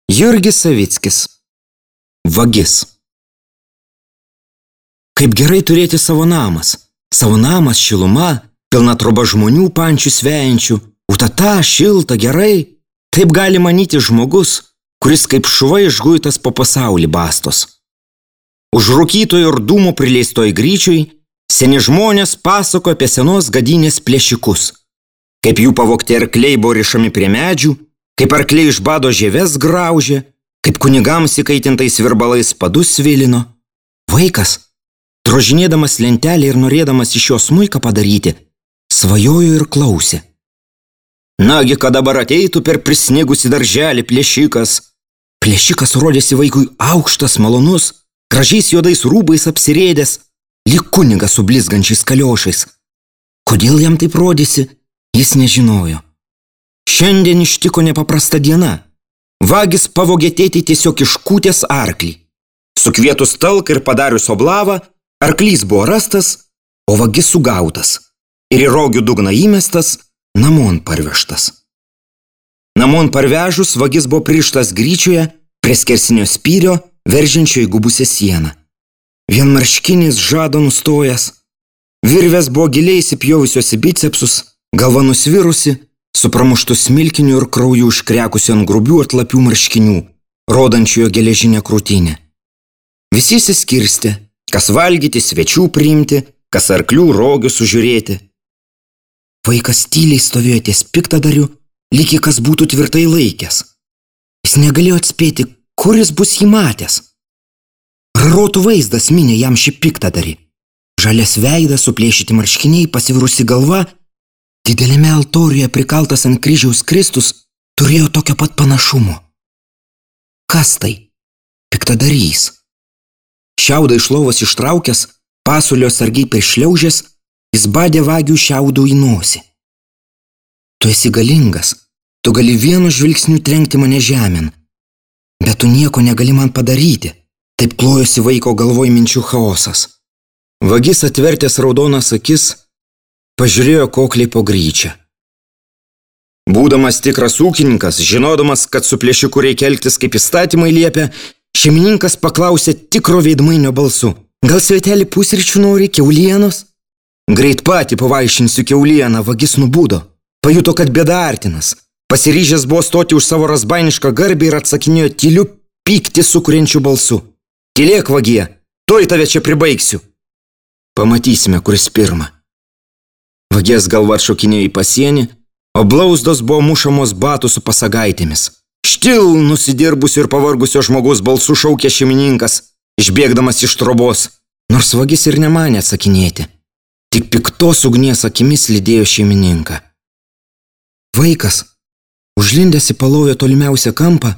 Jurgis Savickis. Vagis. Kaip gerai turėti savo namas. Savo namas, šiluma, pilna troba žmonių pančių svejančių. Utata, šilta, gerai. Taip gali manyti žmogus, kuris kaip šuva išguitas po pasaulį bastos. Už rūkytojo ir dūmų prileistoj gryčiui seni žmonės pasako apie senos gadynės plėšikus. Kaip jų pavogti arkliai buvo rišami prie medžių, kaip arkliai iš bado žieves graužė, kaip kunigams įkaitintais virbalais padus svilino. Vaikas, drožinėdamas lentelę ir norėdamas iš jo smuiką padaryti, svajojo ir klausė. Nagi, kad dabar ateitų per prisnigusį darželį plėšikas. Plėšikas rodėsi vaikui aukštas, malonus, gražiais juodais rūbais apsirėdęs, lyg kunigas su blizgančiais kaliošais. Kodėl jam taip rodėsi, jis nežinojo. Šiandien ištiko nepaprasta diena. Vagis pavogė tėtį tiesiog iškūtęs arklį. Sukvietus talką ir padarius oblavą, arklys buvo rastas, o vagis sugautas ir į rogių dugną įmestas, namon parvežtas. Namon parvežus, vagis buvo pririštas gryčioje prie skersinio spyrio, veržiančio į gubusią sieną. Vienmarškinis žado nustojęs, virvės buvo giliai įsipjovusios į bicepsus, galva nusvirusi, su pramuštu smilkiniu ir krauju užkrekusiu ant grubių atlapių marškinių, rodančių jo geležinę krūtinę. Visi išsiskirstė, kas valgyti, svečių priimti, kas arklių rogių sužiūrėti. Vaikas tyliai stovėjo ties piktadariu, lyg kas būtų tvirtai laikęs. Jis negalėjo atspėti, kur jis bus jį matęs. Rarotų vaizdas minė jam šį piktadarį. Žalias veidas, suplėšyti marškiniai, pasivirusi galva, didelėme altoriuje prikaltas ant kryžiaus Kristus turėjo tokio pat panašumo. Kas tai? Piktadarys. Šiaudą iš lovos ištraukęs, pasulio sargiai prišliaužęs, jis badė vagių šiaudų į nosį. Tu esi galingas, tu gali vienu žvilgsniu trenkti mane žemėn, bet tu nieko negali man padaryti. Taip klojosi vaiko galvoj minčių chaosas. Vagis atvertęs raudonas akis, pažiūrėjo kokliai po gryčią. Būdamas tikras ūkininkas, žinodamas, kad su plėšiku reikia elgtis kaip įstatymai liepia, šeimininkas paklausė tikro veidmainio balsu. Gal svetelį pusryčių nori, kiaulienos? Greit patį pavaišinsiu kiaulieną, vagis nubudo. Pajuto, kad bėda artinas. Pasiryžęs buvo stoti už savo razbainišką garbę ir atsakinėjo tyliu pyktį sukuriančiu balsu. Tylėk, vagie, tuoj tave čia pribaigsiu. Pamatysime, kuris pirma. Vagies galva atšokinėjo į pasienį, o blauzdos buvo mušamos batų su pasagaitėmis. Štil, nusidirbusio ir pavargusio žmogaus balsu šaukė šeimininkas, išbėgdamas iš trobos, nors vagis ir nemanė atsakinėti. Tik piktos ugnies akimis lydėjo šeimininką. Vaikas, užlindęs į palovio tolimiausią kampą,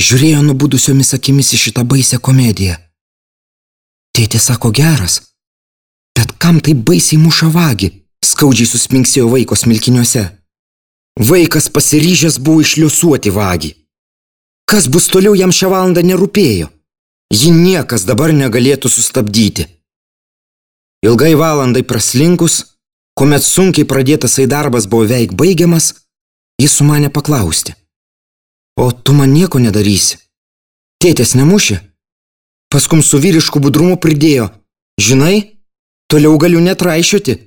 žiūrėjo nubudusiomis akimis į šitą baisią komediją. Tėtė sako geras, bet kam taip baisiai muša vagį, skaudžiai susminksėjo vaiko smilkiniuose. Vaikas pasiryžęs buvo išliuosuoti vagį. Kas bus toliau jam šią valandą nerūpėjo. Ji niekas dabar negalėtų sustabdyti. Ilgai valandai praslinkus, kuomet sunkiai pradėtas darbas buvo veik baigiamas, jis sumanė paklausti. O tu man nieko nedarysi? Tėtės nemušė? Paskum su vyrišku budrumu pridėjo. Žinai, toliau galiu netraišioti.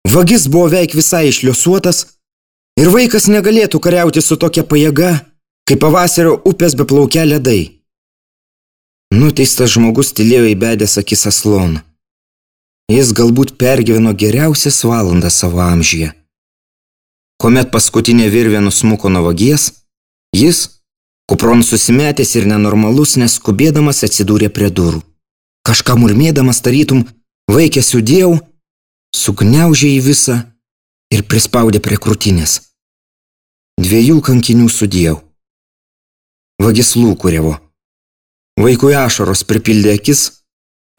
Vagis buvo veik visai išliuosuotas ir vaikas negalėtų kariauti su tokia pajėga, kaip pavasario upės beplaukia ledai. Nuteistas žmogus tylėjo įbedęs akis asloną. Jis galbūt pergyveno geriausias valandas savo amžiuje. Kuomet paskutinė virvė nusmuko nuo vagies, jis, kupron susimetęs ir nenormalus, neskubėdamas atsidūrė prie durų. Kažką murmėdamas tarytum vaikė sudėjau, sugniaužė į visą ir prispaudė prie krūtinės. 2 kankinių sudėjau. Vagis lūkuriavo. Vaikui ašaros pripildė akis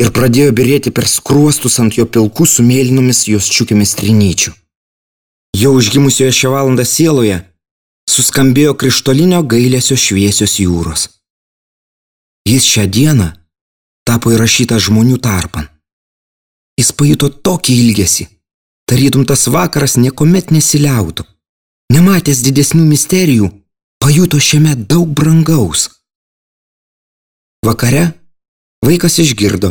ir pradėjo birėti per skruostus ant jo pilkų su mėlynomis jos čiukėmis trinyčių. Jo užgimusioje šią valandą sieloje suskambėjo krištolinio gailesio šviesios jūros. Jis šią dieną tapo įrašytas žmonių tarpan. Jis pajuto tokį ilgesį, tarytum tas vakaras niekuomet nesiliautų. Nematęs didesnių misterijų, pajuto šiame daug brangaus. Vakare vaikas išgirdo,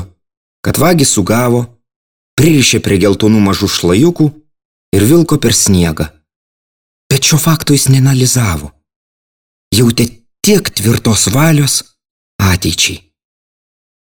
kad vagis sugavo, pririšė prie geltonų mažų šlajukų ir vilko per sniegą. Bet šio fakto jis neanalizavo. Jautė tiek tvirtos valios ateičiai.